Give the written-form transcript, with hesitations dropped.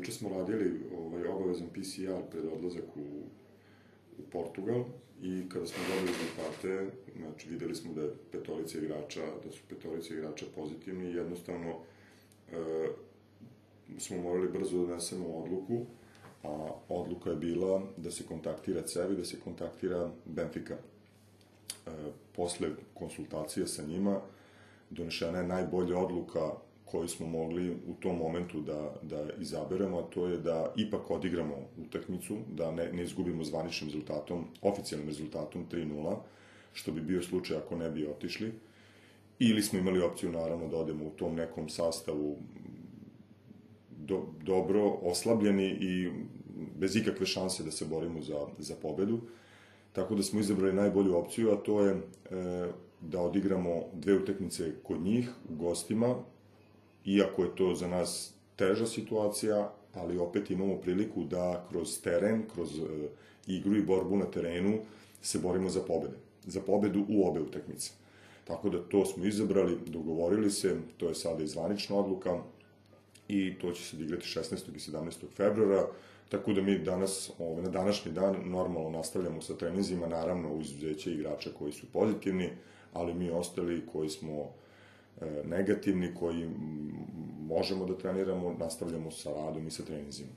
juče smo radili obavezan PCR pred odlazak u Portugal i kada smo dobili rezultate, znači videli smo da su petorica igrača pozitivni i jednostavno smo morali brzo da donesemo odluku, a odluka je bila da se kontaktira CEV i da se kontaktira Benfica. Posle konsultacija sa njima donešena je najbolja odluka koju smo mogli u tom momentu da izaberemo, a to je da ipak odigramo utakmicu, da ne izgubimo zvaničnim rezultatom, oficijalnim rezultatom 3:0, što bi bio slučaj ako ne bi otišli. Ili smo imali opciju, naravno, da odemo u tom nekom sastavu dobro, oslabljeni i bez ikakve šanse da se borimo za pobedu. Tako da smo izabrali najbolju opciju, a to je da odigramo 2 utakmice kod njih, u gostima, iako je to za nas teža situacija, ali opet imamo priliku da kroz teren, kroz igru i borbu na terenu se borimo za pobede. Za pobedu u obe utakmice. Tako da to smo izabrali, dogovorili se, to je sada i zvanična odluka i to će se odigrati 16. i 17. februara, tako da mi danas, na današnji dan, normalno nastavljamo sa treninzima, naravno uz izuzeće igrača koji su pozitivni, ali mi ostali koji smo negativni, koji možemo da treniramo, nastavljamo sa radom i sa treninzima.